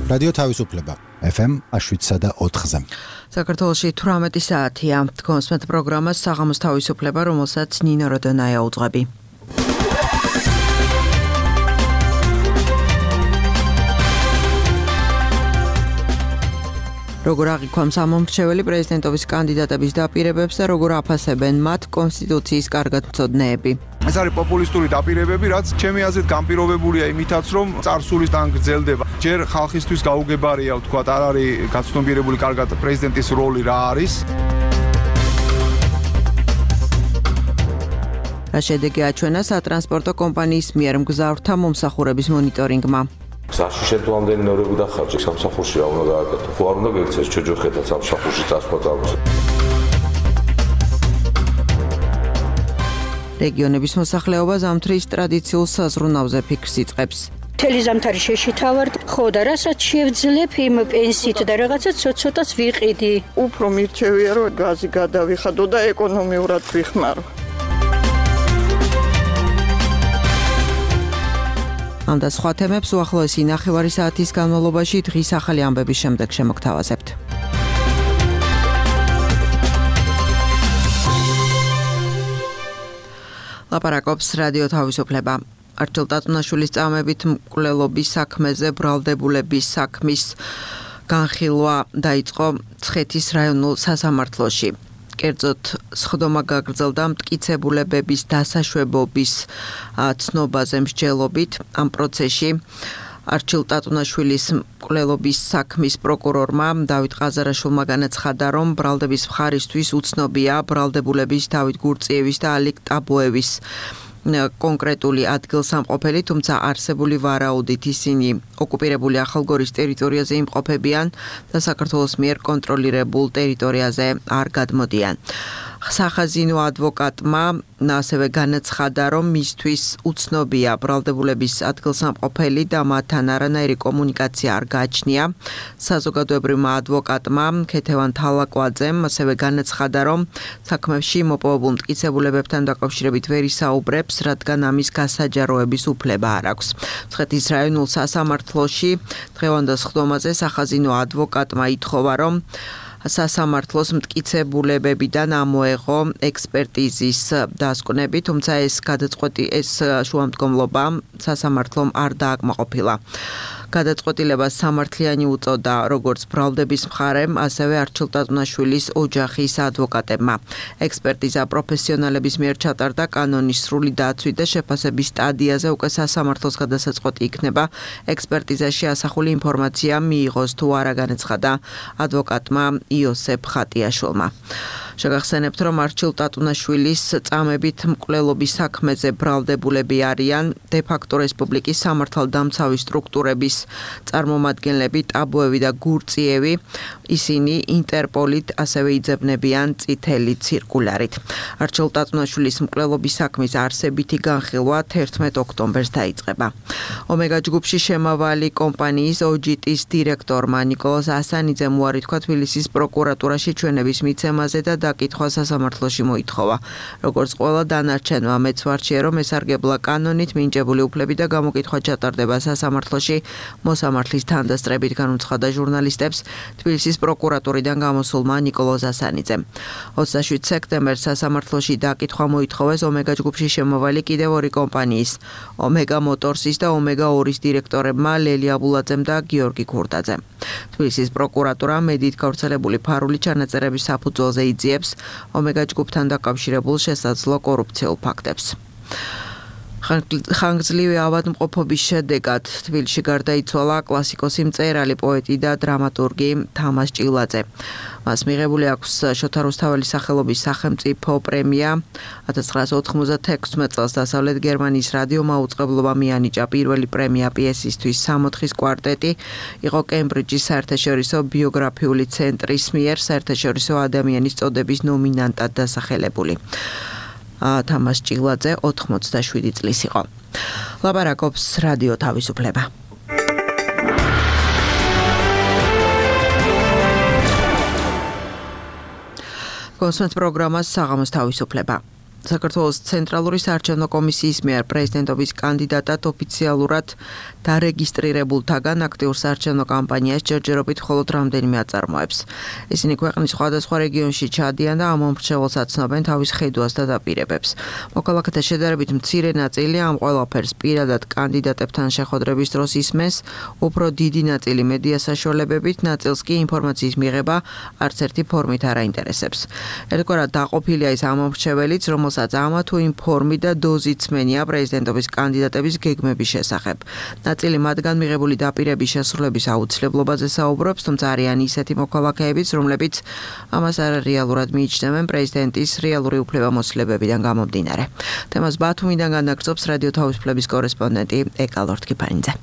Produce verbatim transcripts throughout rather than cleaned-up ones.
რადიო თავისუფლება ეფ ემ შვიდსა და ოთხზე. საქართველოში თვრამეტი საათია. თქვენს მეტ პროგრამას საღამოს თავისუფლება, რომელსაც ნინო როდონაია უძღვები. როგორ აღიქვამს ამომრჩეველი პრეზიდენტობის კანდიდატების დაპირებებს და როგორ აფასებენ მათ კონსტიტუციის კარგადმცოდნეები. ეს არის პოპულისტური დაპირებები, რაც ჩემი აზრით განპირობებულია იმითაც, რომ წარსულისგან გრძელდება. ჯერ ხალხისთვის გაუგებარია, ვთქვათ, არ არის გაცნობიერებული კარგად პრეზიდენტის როლი რა არის. რა შედეგი აჩვენა სატრანსპორტო კომპანიის მიერ მგზავრთა მომსახურების მონიტორინგმა. გზაში შემდგომდენი ნორები და ხარჯი სამსახურში რა უნდა გააკეთო? ხო არ უნდა გექცეს ჩოჯოხეთაც სამსახურში წასვლა წამოს. რეგიონების მოსახლეობა ზამთრის ტრადიციულ საზრუნავზე ფიქრს იწყებს. მთელი ზამთარი შეშითავართ, ხო და რასაც შევძლებ იმ პენსიით და რაღაცა ცოტ-ცოტას ვიყიდი. უფრო მირჩევია რომ გაზი გადავიხადო და ეკონომიურად ვიხმარო. ამ და სხვა თემებს უახლოესი ნახევარი საათის განმავლობაში დღის ახალი ამბების შემდეგ შემოგთავაზებთ. ლაპარაკობს რადიო თავისუფლება. არჩილ ტატუნაშვილის წამებით მკვლელობის საქმეზე ბრალდებულების საქმის განხილვა დაიწყო მცხეთის რაიონულ სასამართლოში. კერძოდ სხდომა გაგრძელდა მტკიცებულებების დასაშვებობის ცნობაზე მსჯელობით. ამ პროცესში არჩილ ტატუნაშვილის მკვლელობის საქმის პროკურორმა დავით ყაზარაშვილმა განაცხადა, რომ ბრალდების მხარისთვის უცნობია ბრალდებულების დავით გურწიევის და ალიკ ტაბოევის კონკრეტული ადგილსამყოფელი, თუმცა არსებული ვარაუდით ისინი ოკუპირებული ახალგორის ტერიტორიაზე იმყოფებიან და საქართველოს მიერ კონტროლირებულ ტერიტორიაზე არ გადმოდიან. სახაზინო ადვოკატმა ასევე განაცხადა, რომ მისთვის უცნობია ბრალდებულების ადგილსამყოფელი და მათთან არანაირი კომუნიკაცია არ გააჩნია. საზოგადოებრივმა ადვოკატმა ქეთევან თალაკვაძემ ასევე განაცხადა, რომ საქმეში მოპოვებულ მტკიცებულებებთან დაკავშირებით ვერ ისაუბრებს, რადგან ამის გასაჯაროების უფლება არ აქვს. მცხეთის რაიონულ სასამართლოში დღევანდელ სხდომაზე სახაზინო ადვოკატმა ითხოვა, რომ სასამართლოს მტკიცებულებებიდან ამოეღო ექსპერტიზის დასკვნები, თუმცა ეს გადაწყვეტი ეს შუამდგომლობა სასამართლომ არ დააკმაყოფილა. გადაწყვეტილებას სამართლიანი უწოდა როგორც ბრალდების მხარემ, ასევე არჩილ ტატუნაშვილის ოჯახის ადვოკატებმა. ექსპერტიზა პროფესიონალების მიერ ჩატარდა კანონის სრული დაცვით და შეფასების სტადიაზე უკვე სასამართლოს გადასაწყვეტი იქნება ექსპერტიზაში ასახული ინფორმაცია მიიღოს თუ არა, განაცხადა ადვოკატმა იოსებ ხატიაშვილმა. შეგახსენებთ, რომ არჩილ ტატუნაშვილის წამებით მკვლელობის საქმეზე ბრალდებულები არიან დე-ფაქტო რესპუბლიკის სამართალდამცავი სტრუქტურების წარმომადგენლები ტაბოევი და გურწიევი. ისინი ინტერპოლით ასევე იძებნებიან წითელი ცირკულარით. არჩილ ტატუნაშვილის მკვლელობის საქმის არსებითი განხილვა თერთმეტ ოქტომბერს დაიწყება. ომეგა ჯგუფში შემავალი კომპანიის ოჯიტის დირექტორმა ნიკოლოზ ასანიძემ უარი თქვა თბილისის პროკურატურაში ჩვენების მიცემაზე და დაკითხვა სასამართლოში მოითხოვა. როგორც ყველა დანარჩენმა მეც ვარჩიე, რომ ესარგებლა კანონით მინიჭებული უფლები და გამოკითხვა ჩატარდება სასამართლოში. მოსამართლის თანდასწრებით განუცხადა ჟურნალისტებს თბილისის პროკურატურიდან გამოსულმა ნიკოლოზ ასანიძემ. ოცდაშვიდ სექტემბერს სასამართლოში დაკითხვა მოითხოვეს ომეგა ჯგუფში შემავალი კიდევ ორი კომპანიის, ომეგა მოტორსის და ომეგა ორის დირექტორებმა ლელი აბულაძემ და გიორგი ქურდაძემ. თბილისის პროკურატურა მედით გავრცელებული ფარული ჩანაწერების საფუძველზე იძიებს ომეგა ჯგუფთან დაკავშირებულ შესაძლო კორუფციულ ფაქტებს. ხანგრძლივი ავადმყოფობის შედეგად თბილისში გარდაიცვალა კლასიკოსი მწერალი, პოეტი და დრამატურგი თამაზ ჭილაძე. მას მიღებული აქვს შოთა რუსთაველის სახელობის სახელმწიფო პრემია. ათას ცხრაასა ოთხმოცდათექვსმეტ წელს დასავლეთ გერმანიის რადიო მაუწყებლობა მიანიჭა პირველი პრემია პიესისთვის სამოთხის კვარტეტი. იყო კემბრიჯის საერთაშორისო ბიოგრაფიული ცენტრის მიერ საერთაშორისო ადამიანის წოდების ნომინანტად დასახელებული. თამაზ ჭილაძე ოთხმოცდაშვიდი წლის იყო. ლაპარაკობს რადიო თავისუფლება. კონსულტ პროგრამას საღამოს თავისუფლება. საქართველოს ცენტრალური საარჩევნო კომისიის მიერ პრეზიდენტობის კანდიდატად ოფიციალურად დარეგისტრირებულთაგან აქტიურ საარჩევნო კამპანიას ჯერჯერობით მხოლოდ რამდენიმე აწარმოებს. ისინი ქვეყნის სხვადასხვა რეგიონში ჩადიან და ამ მომრჩეველს აცნობენ თავის ხედვას და დაპირებებს. მოქალაქეთა შედარებით მცირე ნაწილი ამ ყველაფერს პირადად კანდიდატებთან შეხვედრების დროს ისმენს, უფრო დიდი ნაწილი მედია საშუალებებით, ნაწილს კი ინფორმაციის მიღება არც ერთი ფორმით არ აინტერესებს. ერთგვარად დაყოფილია ის ამ მომრჩეველიც, რომელსაც ამა თუ იმ ფორმით და დოზით სმენია პრეზიდენტობის კანდიდატების გეგმების შესახებ. ნაწილი მათგან მიღებული დაპირების შესრულების აუცილებლობაზე საუბრობს, თუმცა არიან ისეთი მოქალაქეებიც, რომლებიც ამას არარეალურად მიიჩნევენ პრეზიდენტის რეალური უფლებამოსილებებიდან გამომდინარე. თემას ბათუმიდან განაგრძობს რადიო თავისუფლების კორესპონდენტი ეკა ლორთქიფანიძე.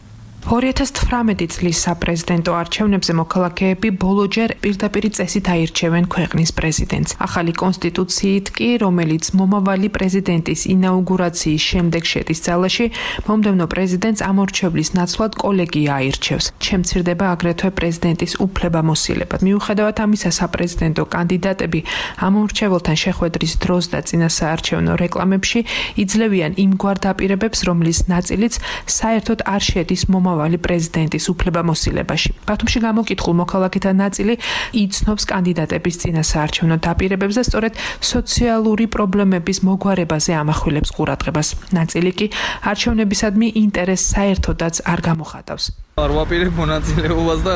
ორი ათას თვრამეტი წლის საპრეზიდენტო არჩევნებზე მოქალაქეები ბოლოჯერ პირდაპირ წესით აირჩევენ ქვეყნის პრეზიდენტს. ახალი კონსტიტუციით კი, რომელიც მომავალი პრეზიდენტის ინაუგურაციის შემდეგ შედის ძალაში, მომდევნო პრეზიდენტს ამორჩევლის ნაცვლად კოლეგია აირჩევს. შემცირდება აგრეთვე პრეზიდენტის უფლებამოსილება. მიუხედავად ამისა, საპრეზიდენტო კანდიდატები ამორჩეველთან შეხვედრის დროს და წინა საარჩევნო რეკლამებში იძლევიან იმგვარ დაპირებებს, რომლის ნაწილიც საერთოდ არ შედის მომავალი მომავალი პრეზიდენტის უფლებამოსილებაში. ბათუმში გამოკითხულ მოქალაქეთა ნაწილი იცნობს კანდიდატების წინა საარჩევნო დაპირებებს და სწორედ სოციალური პრობლემების მოგვარებაზე ამახვილებს ყურადღებას. ნაწილი კი არჩევნებისადმი ინტერესს საერთოდაც არ გამოხატავს. არ ვაპირებ მონაწილეობას და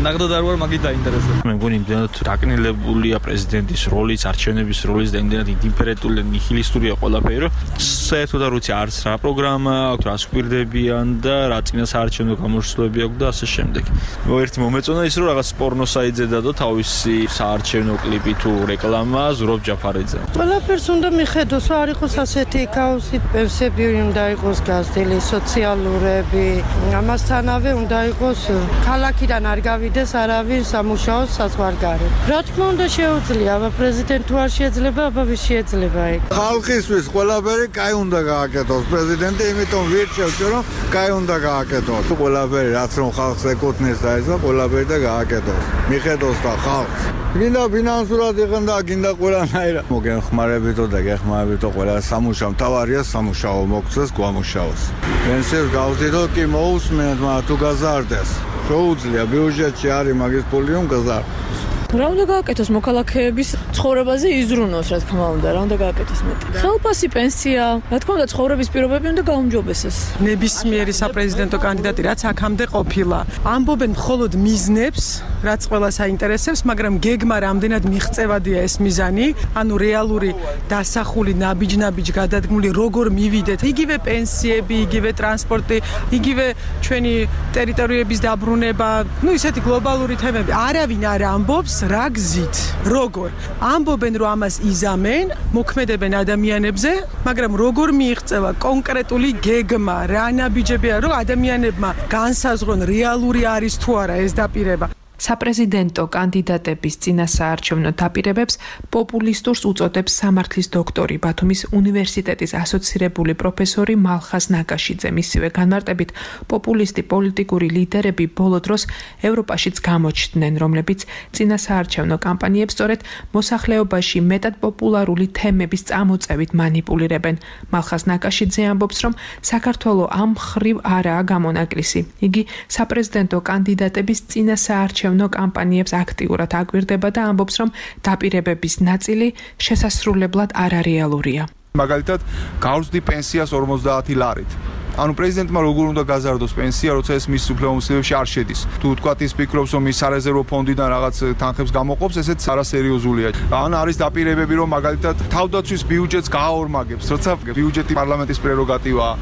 ნახდად არ ვარ მაგით დაინტერესებული. მე მგონი იმდენად დაკნილებულია პრეზიდენტის როლიც, არჩევნების როლიც და იმდენად ინდიფერენტული ნიჰილისტურია ყველაფერი, რომ საერთოდ არ ვიცი არც რა პროგრამა აქვს, რა სკვირდებიან და რა წინა საარჩევნო გამოსვლები აქვს და ასე შემდეგ. ერთი მომეწონა ის, რომ რაღაც პორნოსაიძე დადო თავისი საარჩევნო კლიპი თუ რეკლამა ზურაბ ჯაფარიძე. ყველაფერს უნდა მიხედოს, არ იყოს ასეთი ქაოსი, პენსიები უნდა იყოს გაზრდილი, სოციალურები, ამასთანავე უნდა იყოს ქალაქიდან არ გავიდეს არავინ სამუშაოს საზღვარგარეთ. რა თქმა უნდა შეუძლია, აბა პრეზიდენტ თუ არ შეიძლება, აბა ვის შეიძლება ეგ. ხალხისთვის ყველაფერი კაი უნდა გააკეთოს პრეზიდენტი, იმიტომ ვირჩევთ, რომ კაი უნდა გააკეთოს. ყველაფერი რაც რომ ხალხს ეკუთვნის და ეს ყველაფერი და გააკეთოს. მიხედოს და ხალხს. გინდა ფინანსურად იყენ და გინდა ყველანაირად. მოგეხმარებითო და გეხმარებითო ყველა სამუშაო მთავარია სამუშაო მოგცეს გვამუშაოს. პენსიას გავზიდო კი მოусმენთ, მაგრამ თუ გაზარდეს. შეუძლია ბიუჯეტში არის მაგის ფული რომ გაზარდეს. რა უნდა გააკეთოს მოქალაქეების ცხოვრებაზე იზრუნოს, რა თქმა უნდა, რა უნდა გააკეთოს მეტი. ხელფასი, პენსია, რა თქმა უნდა, ცხოვრების პირობები უნდა გაუმჯობესოს. ნებისმიერი საპრეზიდენტო კანდიდატი რაც აქამდე ყოფილა, ამბობენ მხოლოდ მიზნებს, რაც ყველას აინტერესებს, მაგრამ გეგმა რამდენად მიღწევადია ეს მიზანი, ანუ რეალური დასახული ნაბიჯ-ნაბიჯ გადადგმული როგორ მივიდეთ, იგივე პენსიები, იგივე ტრანსპორტი, იგივე ჩვენი ტერიტორიების დაბრუნება, ну ისეთი გლობალური თემები. არავინ არ ამბობს რა გზით, როგორ. ამბობენ რომ ამას იზამენ, მოქმედებენ ადამიანებზე, მაგრამ როგორ მიიღწევა კონკრეტული გეგმა, რა ნაბიჯებია, რომ ადამიანებმა განსაზღვრონ რეალური არის თუ არა ეს დაპირება. საპრეზიდენტო კანდიდატების წინა საარჩევნო დაპირებებს პოპულისტურს უწოდებს სამართლის დოქტორი, ბათუმის უნივერსიტეტის ასოცირებული პროფესორი მალხაზ ნაკაშიძე. მისივე განმარტებით, პოპულისტი პოლიტიკური ლიდერები ბოლო დროს ევროპაშიც გამოჩნდნენ, რომლებიც წინა საარჩევნო კამპანიებს სწორედ მოსახლეობაში მეტად პოპულარული თემების წამოწევით მანიპულირებენ. მალხაზ ნაკაშიძე ამბობს, რომ საქართველო ამ მხრივ არაა გამონაკლისი. იგი საპრეზიდენტო კანდიდატების წინა საარჩევნო კამპანიებს აქტიურად აკვირდება და ამბობს, რომ დაპირებების ნაწილი შესასრულებლად არარეალურია. მაგალითად, გავზრდი პენსიას ორმოცდაათი ლარით. ანუ პრეზიდენტმა როგორ უნდა გაზარდოს პენსია, როცა ეს მის უფლებამოსილებებში არ შედის. თუ თქვათ ის ფიქრობს, რომ ის სარეზერვო ფონდიდან რაღაც თანხებს გამოყოფს, ესეც არასერიოზულია. ან არის დაპირებები, რომ მაგალითად თავდაცვის ბიუჯეტს გააორმაგებს, როცა ბიუჯეტი პარლამენტის პრეროგატივაა.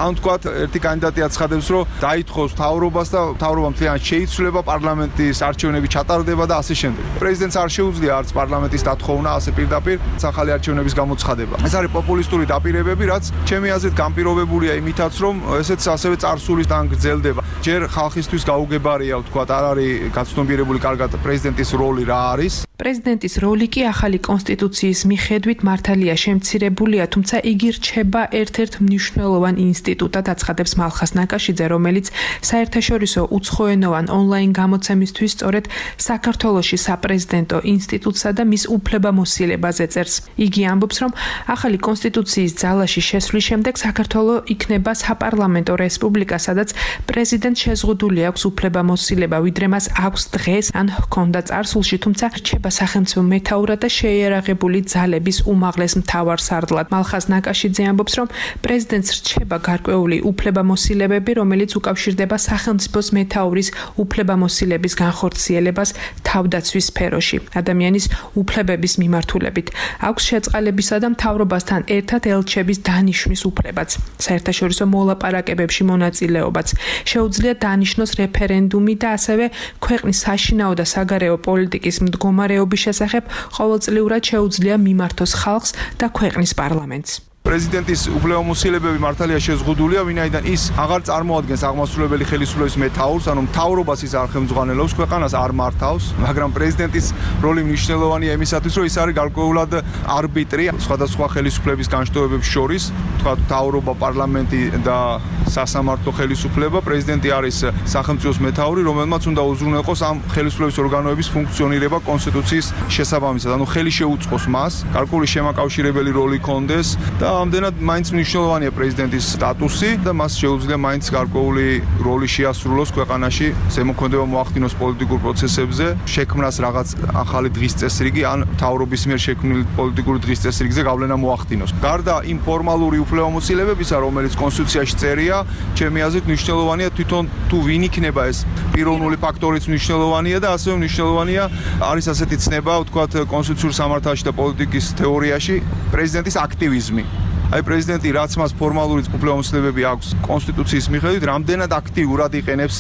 ან თქვათ ერთი კანდიდატი აცხადებს, რომ დაითხოვს მთავრობას და მთავრობა მთლიანად შეიცვლება, პარლამენტის არჩევნები ჩატარდება და ასე შემდეგ. პრეზიდენტს არ შეუძლია არც პარლამენტის დათხოვნა, ასე პირდაპირ ახალი არჩევნების გამოცხადება. ეს არის პოპულისტური დაპირებები, რაც ჩემი აზრით განპირობებულია იმითაც, რომ ესეც ასევე წარსულისგან გრძელდება. ჯერ ხალხისთვის გაუგებარია, ვთქვათ, არ არის გაცნობიერებული კარგად პრეზიდენტის როლი რა არის. პრეზიდენტის როლი კი ახალი კონსტიტუციის მიხედვით მართალია შემცირებულია, თუმცა იგი რჩება ერთ-ერთ მნიშვნელოვან ინსტიტუტად, აცხადებს მალხას ნაკაშიძე, რომელიც საერთაშორისო უცხოენოვან ონლაინ გამოცემისთვის სწორედ საქართველოში საპრეზიდენტო ინსტიტუტსა და მის უფლებამოსილებაზე წერს. იგი ამბობს, რომ ახალი კონსტიტუციის ძალაში შესვლის შემდეგ საქართველო იქნება საპარლამენტო რესპუბლიკა, სადაც პრეზიდენტს შეზღუდული აქვს უფლებამოსილება, ვიდრე მას აქვს დღეს ან ჰქონდა წარსულში, თუმცა რჩება სახელმწიფო მეთაურად და შეიარაღებული ძალების უმაღლეს მთავარსარდლად. მალხას ნაკაშიძე ამბობს, რომ პრეზიდენტს რჩება გარკვეული უფლებამოსილებები, რომელიც უკავშირდება სახელმწიფოს მეთაურის უფლებამოსილების განხორციელებას თავდაცვის სფეროში, ადამიანის უფლებების მიმართულებით. აქვს შეწყალებისა და მთავრობასთან ერთად ელჩების დანიშვნის უფლებაც, საერთაშორისო მოლაპარაკებებში მონაწილეობაც. შეუძლია დანიშნოს რეფერენდუმი და ასევე ქვეყნის საშინაო და საგარეო პოლიტიკის მდგომარეობის შესახებ ყოველწლიურად შეუძლია მიმართოს ხალხს და ქვეყნის პარლამენტს. პრეზიდენტის უფლებამოსილებები მართალია შეზღუდულია, ვინაიდან ის აღარ წარმოადგენს აღმასრულებელი ხელისუფლების მეთაურს, ანუ მთავრობას ის არ ხელმძღვანელობს, ქვეყანას არ მართავს, მაგრამ პრეზიდენტის როლი მნიშვნელოვანია იმისათვის, რომ ის არის გარკვეულად არბიტრი სხვადასხვა ხელისუფლების განშტოებებს შორის, თქვა მთავრობა, პარლამენტი და სასამართლო ხელისუფლება. პრეზიდენტი არის სახელმწიფოს მეთაური, რომელმაც უნდა უზრუნველყოს ამ ხელისუფლების ორგანოების ფუნქციონირება კონსტიტუციის შესაბამისად, ანუ ხელი შეუწყოს მას, გარკვეული შემაკავშირებელი როლი კონდეს და ამდენად მაინც მნიშვნელოვანია პრეზიდენტის სტატუსი და მას შეუძლია მაინც გარკვეული როლი შეასრულოს ქვეყანაში, ზემოქმედება მოახდინოს პოლიტიკურ პროცესებზე, შექმნას რაღაც ახალი დღის წესრიგი ან მთავრობის მიერ შექმნილი პოლიტიკური დღის წესრიგზე გავლენა მოახდინოს. გარდა იმ ფორმალური უფლებამოსილებებისა, რომელიც კონსტიტუციაში წერია, ჩემი აზრით მნიშვნელოვანია თვითონ თუ ვინ იქნება ეს პიროვნული ფაქტორიც მნიშვნელოვანია და ასევე მნიშვნელოვანია არის ასეთი ცნება, ვთქვათ, კონსტიტუციურ სამართალში და პოლიტიკის თეორიაში პრეზიდენტის აქტივიზმი. აი პრეზიდენტი რაც მას ფორმალური უფლებამოსილებები აქვს კონსტიტუციის მიხედვით, რამდენად აქტიურად იყენებს.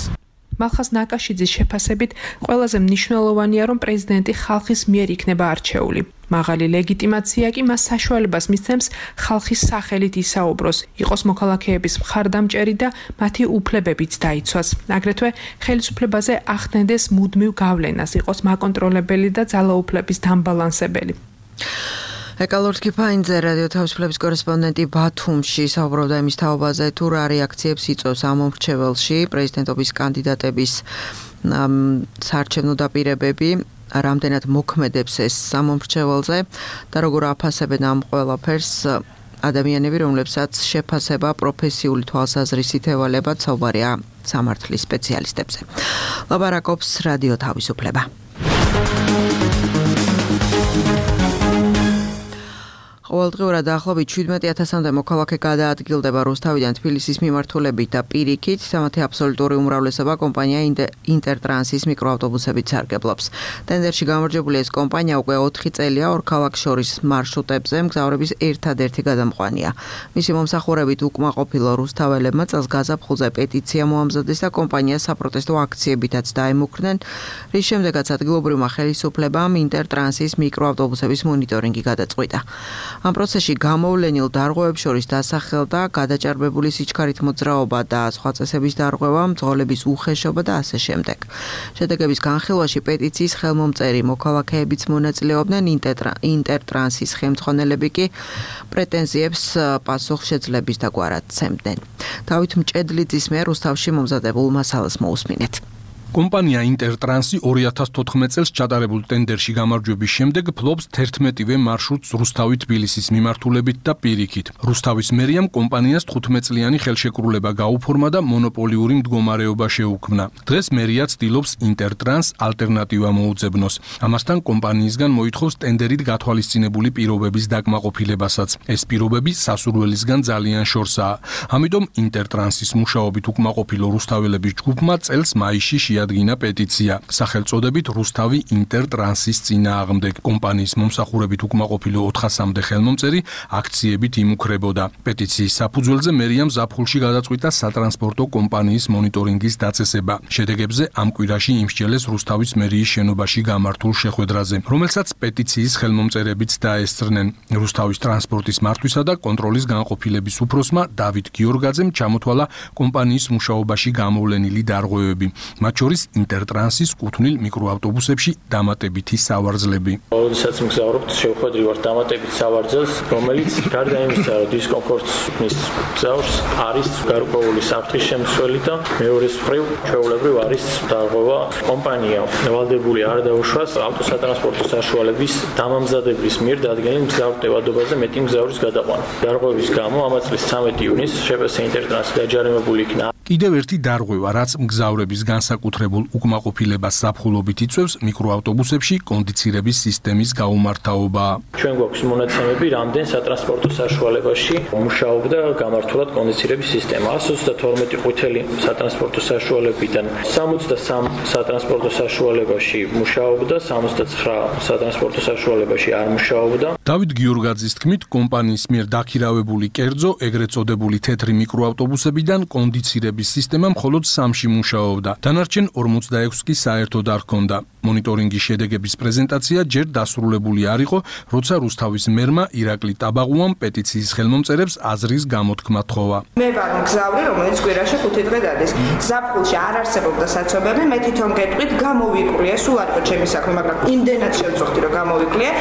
მალხას ნაკაშიძის შეფასებით ყველაზე მნიშვნელოვანია, რომ პრეზიდენტი ხალხის მიერ იქნება არჩეული. მაღალი ლეგიტიმაცია კი მას საშუალებას მისცემს ხალხის სახელით ისაუბროს, იყოს მოქალაქეების მხარდამჭერი და მათი უფლებებიც დაიცვას. აგრეთვე ხელისუფლებაზე ახდენდეს მუდმივ გავლენას, იყოს მაკონტროლებელი და ძალაუფლების დამბალანსებელი. ეკალორდ კიფაინძე, რადიო თავისუფლების კორესპონდენტი ბათუმში, საუბრობდა იმის თაობაზე, თუ რა რეაქციებს იწვევს ამ მომრჩეველში პრეზიდენტობის კანდიდატების საარჩევნო დაპირებები, რამდენად მოქმედებს ეს სამომრჩეველზე და როგორ აფასებენ ამ ყველაფერს ადამიანები, რომლებსაც შეფასება პროფესიული თვალსაზრისით ევალებათ, საუბარია სამართლის სპეციალისტებზე. ლაპარაკობს რადიო თავისუფლება. ყოველდღიურად დაახლოებით შვიდმეტი ათასამდე მოქალაქე გადაადგილდება რუსთავიდან თბილისის მიმართულებით და პირიქით, თამათი აბსოლუტური უმრავლესობა კომპანია ინტერტრანსის მიკროავტობუსებით სარგებლობს. ტენდერში გამარჯვებული ეს კომპანია უკვე ოთხი წელია ორ ქალაქ შორის მარშრუტებზე მგზავრების ერთადერთი გადამყვანია. მისი მომსახურებით უკმაყოფილო რუსთაველებმა წელს გაზაფხულზე პეტიცია მოამზადეს და კომპანიას საპროტესტო აქციებითაც დაემუქრნენ, რის შემდეგაც ადგილობრივმა ხელისუფლებამ ინტერტრანსის მიკროავტობუსების მონიტორინგი გადაწყვიტა. ამ პროცესში გამოვლენილ დარღვევებს შორის დასახელდა გადაჭარბებული სიჩქარით მოძრაობა და სხვა წესების დარღვევა, მძღოლების უხეშობა და ასე შემდეგ. შედეგების განხილვაში პეტიციის ხელმომწერი მოქალაქეებიც მონაწილეობდნენ, ინტერტრანსის ხელმძღვანელები კი პრეტენზიებს პასუხშეძლების დაგვარად ცემდნენ. დავით მჭედლიძის მიერ რუსთავში მომზადებულ მასალას მოусმინეთ. კომპანია ინტერტრანსი ორი ათას თოთხმეტ წელს ჩატარებულ ტენდერში გამარჯვების შემდეგ ფლობს თერთმეტივე მარშრუტს რუსთავი თბილისის მიმართულებით და პირიქით. რუსთავის მერიამ კომპანიას თხუთმეტ წლიანი ხელშეკრულება გაუფორმა და მონოპოლიური მდგომარეობა შეუქმნა. დღეს მერია ცდილობს ინტერტრანს ალტერნატივა მოუძებნოს. ამასთან კომპანიისგან მოითხოვს ტენდერით გათვალისწინებული პირობების დაკმაყოფილებასაც. ეს პირობები სასურველისგან ძალიან შორსაა. ამიტომ ინტერტრანსის მუშაობით უკმაყოფილო რუსთაველების ჯგუფმა წელს მაისში ადგინა პეტიცია სახელწოდებით რუსთავი ინტერტრანსის წინააღმდეგ. კომპანიის მომსახურებით უკმაყოფილო ოთხასამდე ხელმომწერი აქციებით იმუქრებოდა. პეტიციის საფუძველზე მერიამ ზაფხულში გადაწყვიტა სატრანსპორტო კომპანიის მონიტორინგის დაწესება. შედეგებზე ამ კვირაში იმსჯელეს რუსთავის მერიის შენობაში გამართულ შეხვედრაზე, რომელსაც პეტიციის ხელმომწერებიც დაესწრნენ. რუსთავის ტრანსპორტის მართვისა და კონტროლის განყოფილების უფროსმა დავით გიორგაძემ ჩამოთვალა კომპანიის მუშაობაში გამოვლენილი დარღვევები. მათ შორის შორის ინტერტრანსის კუთვნილ მიკროავტობუსებში დამატებითი სავარძლები. როდესაც მგზავრობთ, შევხვედრივართ დამატებით სავარძელს, რომელიც გარდა იმისა, რომ დისკომფორტს ქმნის მგზავრს, არის გარკვეული საფრთხის შემცველი და მეორეს მხრივ ჩვეულებრივ არის დარღვევა კომპანია ვალდებული არ დაუშვას ავტოსატრანსპორტო საშუალების დამამზადებლის მიერ დადგენილ მგზავრ ტევადობაზე მეტი მგზავრის გადაყვანა. დარღვევის გამო ამ წლის ცამეტი ივნისს შპს ინტერტრანსი დაჯარიმებული იქნა. კიდევ ერთი დარღვევა, რაც მგზავრების განსაკუთრებულ უკმაყოფილებას ზაფხულობით იწვევს მიკროავტობუსებში კონდიცირების სისტემის გაუმართავობაა. ჩვენ გვაქვს მონაცემები, რამდენ სატრანსპორტო საშუალებაში მუშაობდა გამართულად კონდიცირების სისტემა. εκατს ოცდათორმეტი ყვითელი სატრანსპორტო საშუალებიდან სამოცდასამ სატრანსპორტო საშუალებაში მუშაობდა, სამოცდაცხრა სატრანსპორტო საშუალებაში არ მუშაობდა. დავით გიორგაძის თქმით, კომპანიის მიერ დაქირავებული კერძო, ეგრეთ წოდებული თეთრი მიკროავტობუსებიდან კონდიცირების სისტემა მხოლოდ სამში მუშაობდა. დანარჩენ ორმოცდაექვსს კი საერთოდ არ ჰქონდა. მონიტორინგის შედეგების პრეზენტაცია ჯერ დასრულებული არ იყო, როცა რუსთავის მერმა ირაკლი ტაბაღუამ პეტიციის ხელმომწერებს აზრის გამოთქმა თხოვა. მე ვარ მგზავრი, რომელიც კვირაში ხუთი დღე დადის. ზაფხულში არ არსებობდა საცობები, მე თვითონ გეტყვით, გამოვიკვლიე, სულ არ იყო ჩემი საქმე, მაგრამ იმდენად შევწუხდი, რომ გამოვიკვლიე.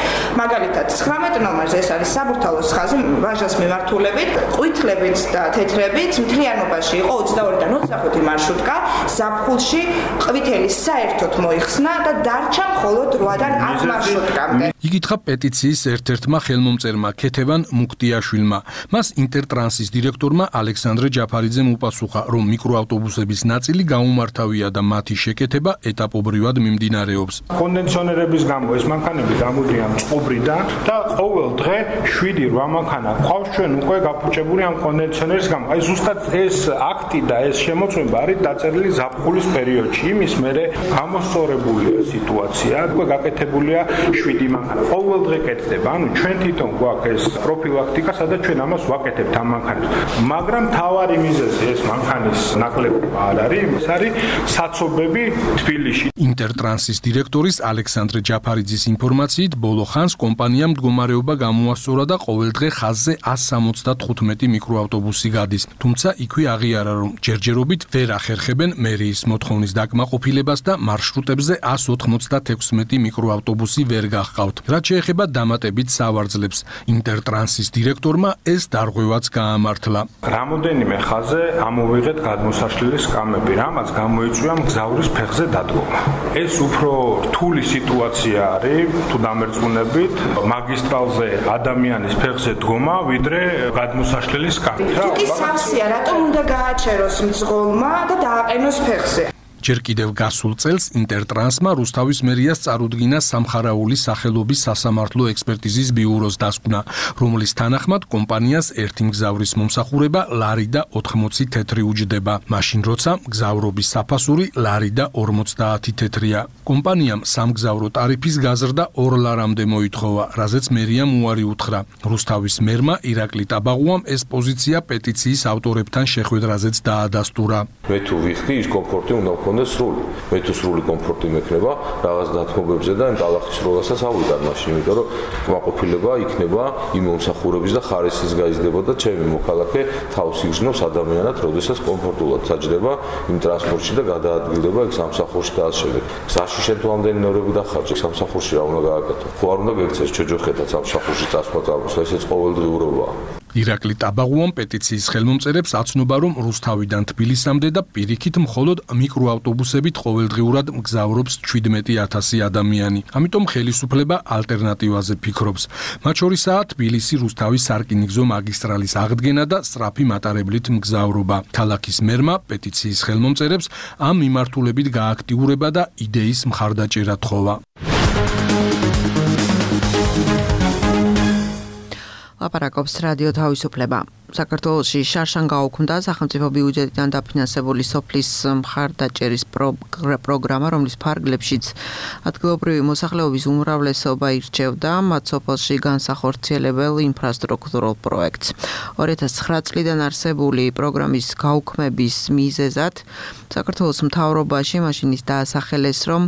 მაგალითად, ცხრამეტ ნომერზე ეს არის საბურთალოს ხაზი, ვაჟას მიმართულებით, ყვითლებით და თეთრებით, მთლიანობაში იყო ოცდაორიდან ოცდახუთი მარშრუტკა, ზაფხულში ყვითელი საერთოდ მოიხსნა და დარჩა მხოლოდ რვადან ათ მარშრუტკამდე. იკითხა პეტიციის ერთ-ერთმა ხელმომწერმა ქეთევან მუქტიაშვილმა. მას ინტერტრანსის დირექტორმა ალექსანდრე ჯაფარიძემ უპასუხა, რომ მიკროავტობუსების ნაწილი გაუმართავია და მათი შეკეთება ეტაპობრივად მიმდინარეობს. კონდიციონერების გამო ეს მანქანები გამოდიან წყობრიდან და ყოველ დღე შვიდი რვა მანქანა ყავს ჩვენ უკვე გაფუჭებული ამ კონდიციონერის გამო. აი ზუსტად ეს აქტი და ეს შემოწმება არის დაწერილი ზაფხულის პერიოდში. იმის მერე გამოსწორებულია სიტუაცია, უკვე გაკეთებულია შვიდი მანქანა. ყოველ დღე კეთდება. ანუ ჩვენ თვითონ გვაქვს ეს პროფილაქტიკა, სადაც ჩვენ ამას ვაკეთებთ ამ მანქანებს. მაგრამ თავარი მიზეზი ეს მანქანის ნაკლებობა არ არის, ეს არის საცობები თბილისში. ინტერტრანსის დირექტორის ალექსანდრე ჯაფარიძის ინფორმაციით, ბოლო ხანს კომპანიამ მდგომარეობა გამოასწორა და ყოველდღე ხაზზე εκατს სამოცდათხუთმეტი მიკროავტობუსი გადის. თუმცა იქვე აღიარა, რომ ჯერჯერობით ვერ ახერხებენ მერიის მოთხოვნის დაკმაყოფილებას და მარშრუტებზე εκατს ოთხმოცდათექვსმეტი მიკროავტობუსი ვერ გახყავთ. რაც შეეხება დამატებით სავარძლებს, ინტერტრანსის დირექტორმა ეს დარღვევაც გაამართლა. რამოდენიმე ხაზზე ამოვიღეთ გადმოსაშლელი სკამები, რამაც გამოიწვია მგზავრის ფეხზე დადგომა. ეს უფრო რთული სიტუაცია არის, თუ დამერწმუნებით, მაგისტრალზე ადამიანის ფეხზე დგომა, ვიდრე გადმოსაშლელი სკამი. თუ კი სავსეა, რატომ უნდა გააჩეროს მძღოლმა და დააყენოს ფეხზე? ჯერ კიდევ გასულ წელს ინტერტრანსმა რუსთავის მერიას წარუდგინა სამხარაული სახელობის სასამართლო ექსპერტიზის ბიუროს დასკვნა, რომლის თანახმად კომპანიას ერთი მგზავრის მომსახურება ლარი და ოთხმოცი თეთრი უჯდება, მაშინ როცა მგზავრობის საფასური ლარი და ორმოცდაათი თეთრია. კომპანიამ სამგზავრო ტარიფის გაზრდა ორ ლარამდე მოითხოვა, რაზეც მერიამ უარი უთხრა. რუსთავის მერმა ირაკლი ტაბაღუამ ეს პოზიცია პეტიციის ავტორებთან შეხვედრაზეც დაადასტურა. მე თუ ვიხდი, ის კომფორტი უნდა მქონდეს სრული. მე თუ სრული კომფორტი მექნება რაღაც დათმობებზე და იმ ტალახის როლასაც ავიდარ მაშინ, იმიტომ რომ კმაყოფილება იქნება იმ მომსახურების და ხარისხის გაიზრდება და ჩემი მოქალაქე თავს იგრძნობს ადამიანად, როდესაც კომფორტულად საჯდება იმ ტრანსპორტში და გადაადგილდება იქ სამსახურში და ასე შემდეგ. გზაში შემთხვევამდე ნორები და ხარჯი სამსახურში რა უნდა გააკეთო? ხო არ უნდა გექცეს ჩოჯოხეთად სამსახურში წასვლა წამოსვლა, ესეც ყოველდღიურობაა. ირაკლი ტაბაღუამ პეტიციის ხელმომწერებს აცნობა, რომ რუსთავიდან თბილისამდე და პირიქით მხოლოდ მიკროავტობუსებით ყოველდღიურად მგზავრობს შვიდმეტი ათასი ადამიანი. ამიტომ ხელისუფლება ალტერნატივაზე ფიქრობს. მათ შორისაა თბილისი რუსთავის სარკინიგზო მაგისტრალის აღდგენა და სწრაფი მატარებლით მგზავრობა. ქალაქის მერმა პეტიციის ხელმომწერებს ამ მიმართულებით გააქტიურება და იდეის მხარდაჭერა თხოვა. ლაპარაკობს რადიო თავისუფლება. საქართველოში შარშან გაუქმდა სახელმწიფო ბიუჯეტიდან დაფინანსებული სოფლის მხარდაჭერის პროგრამა, რომლის ფარგლებშიც ადგილობრივი მოსახლეობის უმრავლესობა ირჩევდა მათ სოფელში განსახორციელებელ ინფრასტრუქტურულ პროექტს. ორი ათას ცხრა წლიდან არსებული პროგრამის გაუქმების მიზეზად საქართველოს მთავრობაში მაშინ ის დაასახელეს, რომ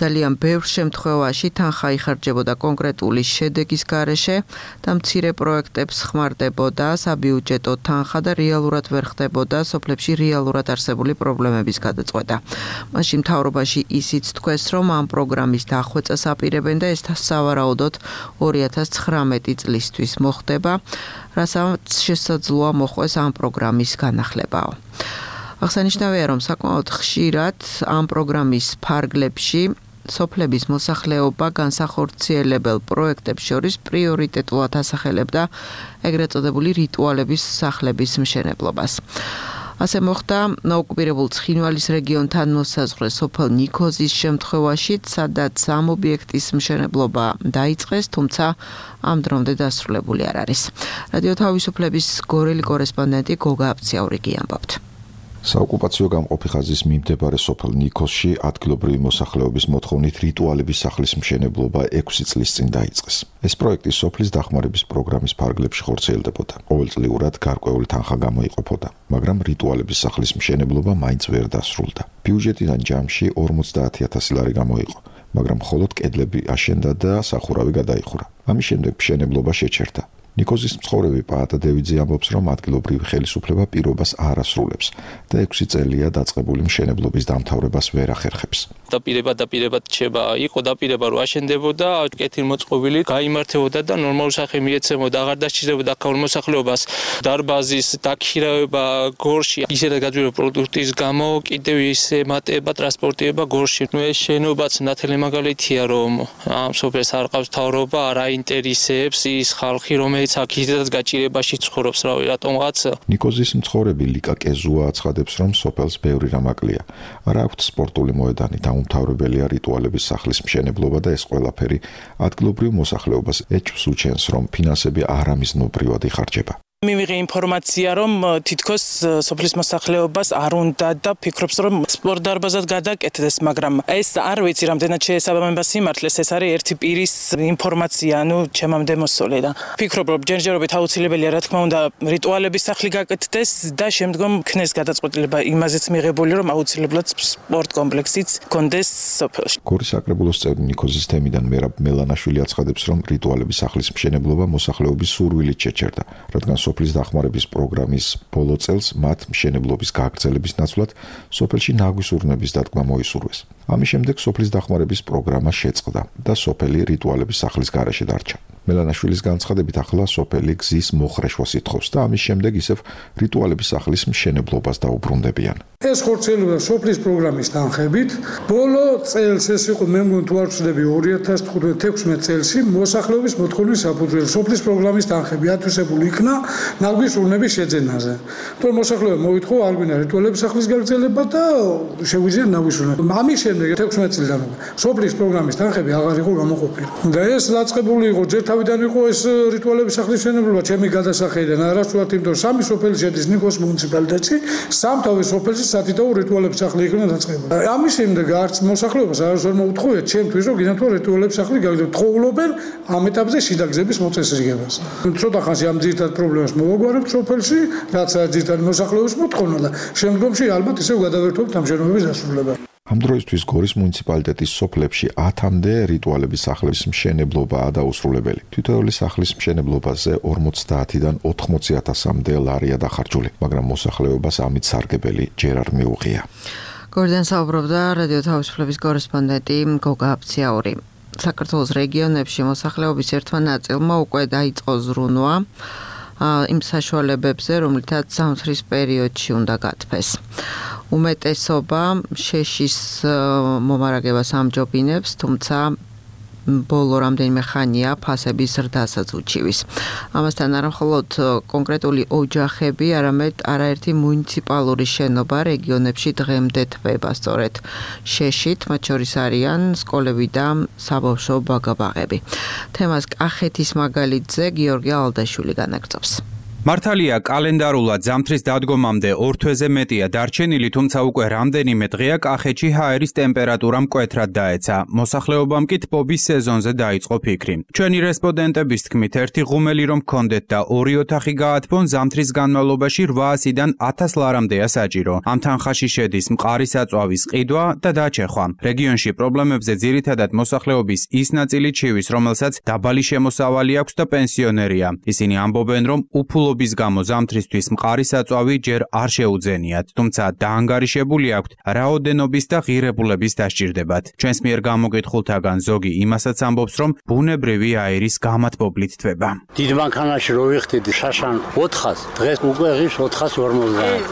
ძალიან ბევრ შემთხვევაში თანხა იხარჯებოდა კონკრეტული შედეგის გარეშე და მცირე პროექტებს ხმარდებოდა საბიუჯეტო თანხა და რეალურად ვერ ხდებოდა სოფლებში რეალურად არსებული პრობლემების გადაწყვეტა. მაშინ მთავრობაში ისიც თქვეს, რომ ამ პროგრამის დახვეწას აპირებენ და ეს სავარაუდოდ ორი ათას ცხრამეტი წლისთვის მოხდება, რასაც შესაძლოა მოხდეს ამ პროგრამის განახლებაო. აღსანიშნავია, რომ საკმაოდ ხშირად ამ პროგრამის ფარგლებში სოფლების მოსახლეობა განსახორციელებელ პროექტებს შორის პრიორიტეტულად ასახელებდა ეგრეთ წოდებული რიტუალების სახლების მშენებლობას. ასე მოხდა ნაოკუპირებულ ცხინვალის რეგიონთან მოსაზღვრე სოფელ ნიქოზის შემთხვევაშიც, სადაც ამ ობიექტის მშენებლობა დაიწყეს, თუმცა ამ დრომდე დასრულებული არ არის. რადიო თავისუფლების გორელი კორესპონდენტი გოგა აფციაურიგი ამბობთ. საოკუპაციო გამყოფი ხაზის მიმდებარე სოფელ ნიქოზში ადგილობრივი მოსახლეობის მოთხოვნით რიტუალების სახლის მშენებლობა ექვსი წლის წინ დაიწყეს. ეს პროექტი სოფლის დახმარების პროგრამის ფარგლებში ხორციელდებოდა. ყოველწლიურად გარკვეული თანხა გამოიყოფოდა, მაგრამ რიტუალების სახლის მშენებლობა მაინც ვერ დასრულდა. ბიუჯეტიდან ჯამში ორმოცდაათი ათასი ლარი გამოიყო, მაგრამ მხოლოდ კედლები აშენდა და სახურავი გადაიხურა. ამის შემდეგ მშენებლობა შეჩერდა. ნიქოზის მცხოვრები პაატა დევიძე ამბობს, რომ ადგილობრივი ხელისუფლება პირობას არ ასრულებს და ექვსი წელია დაწყებული მშენებლობის დამთავრებას ვერ ახერხებს. დაპირება დაპირებად რჩება, იყო დაპირება რომ აშენდებოდა, კეთილმოწყობილი გაიმართებოდა და ნორმალური სახე მიეცემოდა, აღარ დასჭირდებოდა აქაურ მოსახლეობას დარბაზის დაქირავება გორში, ისედაც გაძვირება პროდუქტის გამო, კიდევ ისე მატება, ტრანსპორტირება გორში. ნუ ეს შენობაც ნათელი მაგალითია, რომ ამ სოფელს არ ყავს მთავრობა, არ აინტერესებს ის ხალხი, რომელიც აქ ისედაც გაჭირებაში ცხოვრობს, რავი, რატომღაც. ნიქოზის მცხოვრები ლიკა კეზუა აცხადებს, რომ სოფელს ბევრი რამ აკლია. არ აქვთ სპორტული მოედანი, დაუმთავრებელია რიტუალების სახლის მშენებლობა და ეს ყველაფერი ადგილობრივ მოსახლეობას ეჭვს უჩენს, რომ ფინანსები არამიზნობრივად იხარჯება. მივიღე ინფორმაცია, რომ თითქოს სოფლის მოსახლეობას არ უნდა და ფიქრობს, რომ სპორტ დარბაზად გადაკეთდეს, მაგრამ ეს არ ვიცი, რამდენად შეესაბამება სიმართლეს, ეს არის ერთი პირის ინფორმაცია, ну, ჩემამდე მოსული და ფიქრობ, რომ ჯერჯერობით აუცილებელია, რა თქმა უნდა, რიტუალების სახლი გაკეთდეს და შემდგომ ქნეს გადაწყვეტილება იმაზეც მიღებული, რომ აუცილებლად სპორტ კომპლექსიც გქონდეს სოფელში. გორის საკრებულოს წევრი ნიქოზის თემიდან მერაბ მელანაშვილი აცხადებს, რომ რიტუალების სახლის მშენებლობა მოსახლეობის სურვილით შეჩერდა, რადგან სოფლის დახმარების პროგრამის ბოლო წელს მათ მშენებლობის გაგრძელების ნაცვლად სოფელში ნაგვის ურნების დადგმა მოისურვეს. ამის შემდეგ სოფლის დახმარების პროგრამა შეწყდა და სოფელი რიტუალების სახლის გარეშე დარჩა. მელანაშვილის განცხადებით, ახლა სოფელი გზის მოხრეშვას ითხოვს და ამის შემდეგ ისევ რიტუალების სახლის მშენებლობას დაუბრუნდებიან. ეს ხორციელდება სოფლის პროგრამის თანხებით. ბოლო წელს ეს იყო, მე მგონი თუ არ ვცდები, ორი ათას თექვსმეტ წელსი მოსახლეობის მოთხოვნის საფუძველზე სოფლის პროგრამის თანხები ათვისებული იქნა ნაგვის ურნების შეძენაზე. თორემ მოსახლეობა მოითხოვა არ გვინდა რიტუალების სახლის გაგრძელება და შეგვიძლია ნაგვის ურნები. ამის შემდეგ თექვსმეტ წლიდან სოფლის პროგრამის თანხები აღარ იყო გამოყოფილი. და ეს დაწყებული იყო ჯერ თავიდან იყო ეს რიტუალების სახლის მშენებლობა ჩემი გადასახადიდან არასწორად, იმიტომ რომ სამი სოფელი შედის ნიქოზის მუნიციპალიტეტში, სამთავე სოფელში სათითაო რიტუალების სახლი იქნა დაწყებული. ამის შემდეგ არც მოსახლეობას არასდროს ვერ მოუთხოვია ჩემთვის, რომ გინდა თუ რიტუალების სახლი გაგრძელოთ. თხოვლობენ ამ ეტაპზე შიდაგზების მოწესრიგებას. ცოტა ხანში ამ ძირითად პრობლემას მოვაგვარებთ სოფელში, რაც არის ძირითადი მოსახლეობის მოთხოვნა და შემდგომში ალბათ ისევ გადავერთობთ ამ შენობების დასრულებას. ამ დროისთვის გორის მუნიციპალიტეტის სოფლებში ათამდე რიტუალების სახლის მშენებლობაა დაუსრულებელი. თითოეული სახლის მშენებლობაზე ორმოცდაათიდან ოთხმოცი ათასამდე ლარია დახარჯული, მაგრამ მოსახლეობას ამით სარგებელი ჯერ არ მიუღია. გორიდან საუბრობდა რადიო თავისუფლების კორესპონდენტი გოგა აფციაური. საქართველოს რეგიონებში მოსახლეობის ერთმა ნაწილმა უკვე დაიწყო ზრუნვა იმ საშუალებებზე, რომლითაც ზამთრის პერიოდში უნდა გათბეს. უმეტესობა შეშის მომარაგებას ამჯობინებს, თუმცა ბოლო რამდენიმე ხანია ფასების ზრდასაც უჩივის. ამასთან არა მხოლოდ კონკრეტული ოჯახები, არამედ არაერთი მუნიციპალური შენობა რეგიონებში დღემდე თბება სწორედ შეშით, მათ შორის არიან სკოლები და საბავშვო ბაგაბაღები. თემას კახეთის მაგალითზე გიორგი ალდაშვილი განაგრძობს. მართალია კალენდარულად ზამთრის დადგომამდე ორ თვეზე მეტია დარჩენილი, თუმცა უკვე რამდენიმე დღეა კახეთში ჰაერის ტემპერატურა მკვეთრად დაეცა. მოსახლეობამ კი თბობის სეზონზე დაიწყო ფიქრი. ჩვენი რესპონდენტების თქმით, ერთი ღუმელი რომ ჰქონდეთ და ორი ოთახი გაათბონ, ზამთრის განმავლობაში რვაასიდან ათას ლარამდეა საჭირო. ამ თანხაში შედის მყარი საწვავის ყიდვა და დაჩეხვა. რეგიონში პრობლემებზე ძირითადად მოსახლეობის ის ნაწილი ჩივის, რომელსაც დაბალი შემოსავალი აქვს და პენსიონერია. ისინი ამბობენ, რომ უფულო ობის გამო ზამთრისთვის მყარი საწვავი ჯერ არ შეუძენიათ, თუმცა დაანგარიშებული აქვთ რაოდენობის და ღირებულების დასჭირდებათ. ჩვენს მიერ გამოკითხულთაგან ზოგი იმასაც ამბობს, რომ ბუნებრივი აირის გამათბობლით თვება. დიდ მანქანაში რო ვიხდით შაშან ოთხას, დღეს უკვე ღირს ოთხას ორმოცდაათ.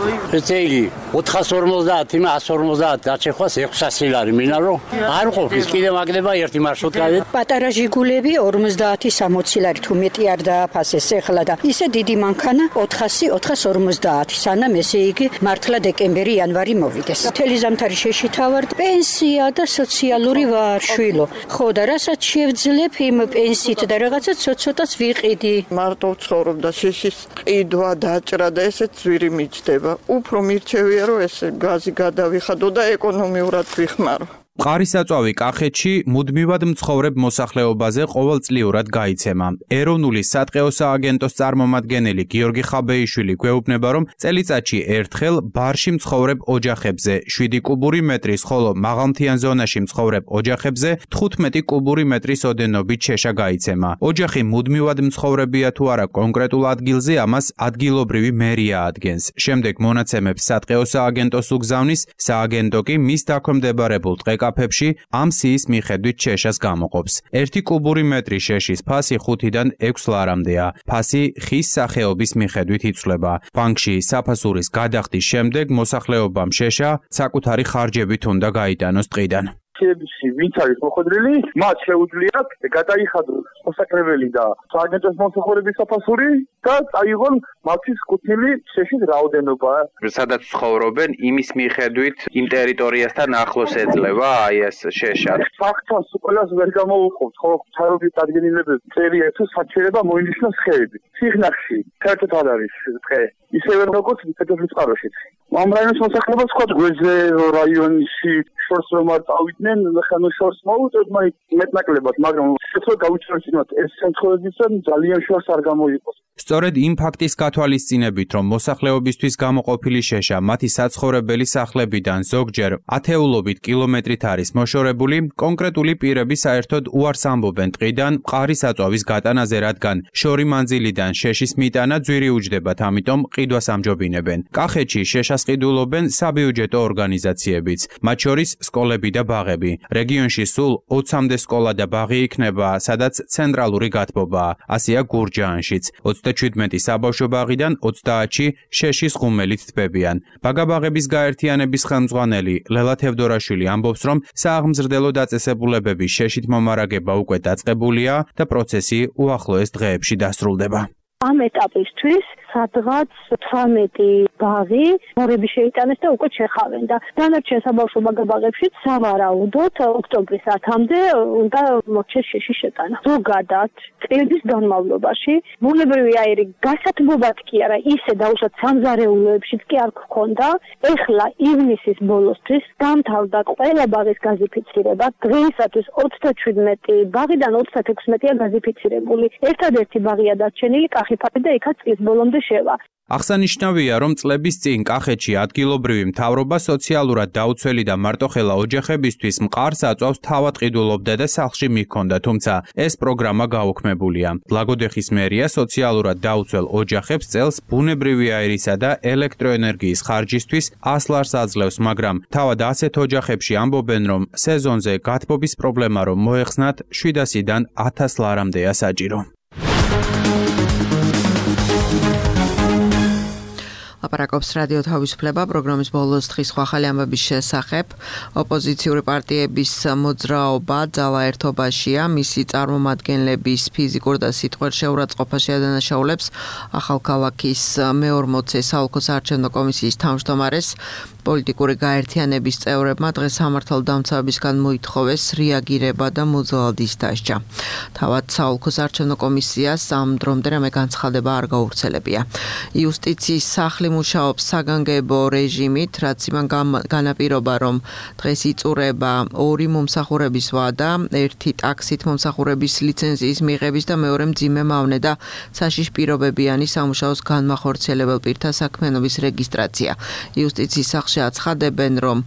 ესე იგი ოთხას ორმოცდაათ, იმა ას ორმოცდაათ დაჩეხვას ექვსასი ლარი მინა რომ არ ყოფის, კიდე მაგდება ერთი მარშრუტკა. პატარა ჟიგულები ორმოცდაათი სამოცი ლარი თუ მეტი არ დააფასეს ეხლა და ისე დიდი მანქანა ოთხასი ოთხას ორმოცდაათი, სანამ ესე იგი მართლა დეკემბერი იანვარი მოვიდეს. მთელი ზამთარი შეშითა ვარ, პენსია და სოციალური ვარ შვილო. ხო და რასაც შევძლებ იმ პენსიით და რაღაცა ცოტ-ცოტას ვიყიდი. მარტო ვცხოვრობ და შეშის ყიდვა დაჭრა და ესეც ძვირი მიჩდება. უფრო მირჩევია რომ ეს გაზი გადავიხადო და ეკონომიურად ვიხმარო. მყარი საწვავი კახეთში მუდმივად მცხოვრებ მოსახლეობაზე ყოველწლიურად გაიცემა. ეროვნული სატყეო სააგენტოს წარმომადგენელი გიორგი ხაბეიშვილი გვეუბნება, რომ წელიწადში ერთხელ ბარში მცხოვრებ ოჯახებზე შვიდი კუბური მეტრის, ხოლო მაღალმთიან ზონაში მცხოვრებ ოჯახებზე თხუთმეტი კუბური მეტრის ოდენობით შეშა გაიცემა. ოჯახი მუდმივად მცხოვრებია თუ არა კონკრეტულ ადგილზე, ამას ადგილობრივი მერია ადგენს. შემდეგ მონაცემებს სატყეო სააგენტოს უგზავნის, სააგენტო კი მის დაქვემდებარებულ ტყეკა კაფებში ამ სიის მიხედვით შეშას გამოყოფს. ერთი კუბური მეტრი შეშის ფასი ხუთიდან ექვს ლარამდეა. ფასი ხის სახეობის მიხედვით იცვლება. ბანკში საფასურის გადახდის შემდეგ მოსახლეობამ შეშა საკუთარი ხარჯებით უნდა გაიტანოს ტყიდან. ხეებში ვინც არის მოხვედრილი, მათ შეუძლიათ გადაიხადოს მოსაკრებელი და სააგენტოს მომსახურების საფასური და წაიღონ მათთვის კუთვნილი შეშის რაოდენობა. სადაც ცხოვრობენ, იმის მიხედვით იმ ტერიტორიასთან ახლოს ეძლევა აი ეს შეშა. ფაქტს ყველას ვერ გამოვუყობთ, ხო, საერთოდ ადგილობრივი წერია თუ საჭიროება მოინიშნოს ხეები. სიღნაღში საერთოდ არ არის დღე. ისევე როგორც პეტროვის წყაროშიც. ამ რაიონის მოსახლეობა სხვა გვერდზე რაიონში შორს რომ არ წავიდნენ, ხანო შორს მოვუწევთ, მაინც მეტნაკლებად, მაგრამ შეცდო გავუჩვენოთ ეს შემთხვევებისა ძალიან შორს არ გამოიყოს. სწორედ იმ ფაქტის გათვალისწინებით, რომ მოსახლეობისთვის გამოყოფილი შეშა მათი საცხოვრებელი სახლებიდან ზოგჯერ ათეულობით კილომეტრით არის მოშორებული, კონკრეტული პირები საერთოდ უარს ამბობენ ტყიდან მყარი საწვავის გატანაზე, რადგან შორი მანძილიდან შეშის მიტანა ძვირი უჯდებათ, ამიტომ ყიდვას ამჯობინებენ. კახეთში შეშას ყიდულობენ საბიუჯეტო ორგანიზაციებიც, მათ შორის სკოლები და ბაღები. რეგიონში სულ ოცამდე სკოლა და ბაღი იქნება, სადაც ცენტრალური გათბობაა. ასეა გურჯაანშიც. ოცდაჩვიდმეტი საბავშვო ბაღიდან ოცდაათში შეშის ღუმელით თბებიან. ბაგაბაღების გაერთიანების ხელმძღვანელი ლელა თევდორაშვილი ამბობს, რომ სააღმზრდელო დაწესებულებების შეშით მომარაგება უკვე დაწყებულია და პროცესი უახლოეს დღეებში დასრულდება. ამ ეტაპისთვის სადღაც თვრამეტი ბაღი მორები შეიტანეს და უკვე შეხავენ და დანარჩენ საბავშვო ბაგაბაღებშიც სავარაუდოდ ოქტომბრის ათამდე უნდა მოჩეს შეშის შეტანა. ზოგადად წლების განმავლობაში ბუნებრივი აირი გასათბობად კი არა, ისე დაუშვათ სამზარეულოებშიც კი არ გქონდა. ეხლა ივნისის ბოლოსთვის დამთავრდა ყველა ბაღის გაზიფიცირება. დღეისათვის ოცდაჩვიდმეტი ბაღიდან ოცდათექვსმეტია გაზიფიცირებული. ერთადერთი ბაღია დარჩენილი კახიფათი და იქაც წლის ბოლომდე შევა. აღსანიშნავია, რომ წლების წინ კახეთში ადგილობრივი მთავრობა სოციალურად დაუცველი და მარტოხელა ოჯახებისთვის მყარ საწვავს თავად ყიდულობდა და სახლში მიჰქონდა, თუმცა ეს პროგრამა გაუქმებულია. ლაგოდეხის მერია სოციალურად დაუცველ ოჯახებს წელს ბუნებრივი აირისა და ელექტროენერგიის ხარჯისთვის ას ლარს აძლევს, მაგრამ თავად ასეთ ოჯახებში ამბობენ, რომ სეზონზე გათბობის პრობლემა რომ მოეხსნათ შვიდასიდან ათას ლარამდეა საჭირო. ლაპარაკობს რადიო თავისუფლება პროგრამის ბოლოს დღის ხალხი ამბების შესახებ. ოპოზიციური პარტიების მოძრაობა ძალა ერთობაშია, მისი წარმომადგენლების ფიზიკურ და სიტყვერ შეურაცხყოფაში ადანაშაულებს ახალქალაქის მეორმოცე საოლქო საარჩევნო კომისიის თავმჯდომარეს პოლიტიკური გაერთიანების წევრებმა დღეს სამართალდამცავებისგან მოითხოვეს რეაგირება და მოძალადის დასჯა. თავად საოლქოს არჩევნო კომისიას ამ დრომდე რამე განცხადება არ გაურცელებია. იუსტიციის სახლი მუშაობს საგანგებო რეჟიმით, რაც იმან განაპირობა, რომ დღეს იწურება ორი მომსახურების ვადა, ერთი ტაქსით მომსახურების ლიცენზიის მიღების და მეორე მძიმე მავნე და საშიშ პირობებიანი სამუშაოს განმახორციელებელ პირთა საქმიანობის რეგისტრაცია. იუსტიციის სახლში აცხადებენ, რომ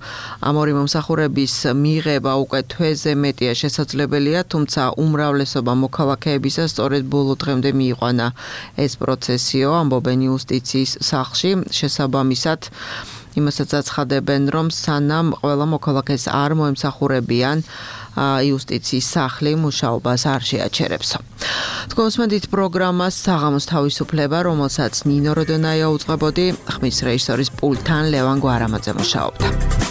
ამ ორი მომსახურების მიღება უკვე თვეზე მეტია შესაძლებელია, თუმცა უმრავლესობა მოქალაქეებისა სწორედ ბოლო დღემდე მიიყვანა ეს პროცესიო, ამბობენ იუსტიციის სახლში, შესაბამისად იმასაც აცხადებენ, რომ სანამ ყველა მოქალაქეს არ მოემსახურებიან, იუსტიციის სახლი მუშაობას არ შეაჩერებს. თქვენსმენდით პროგრამას საღამოს თავისუფლება, რომელსაც ნინო როდონაია უწყებოდი, ხმის რეჟისორის პულტთან ლევან გვარამაძე მუშაობდა.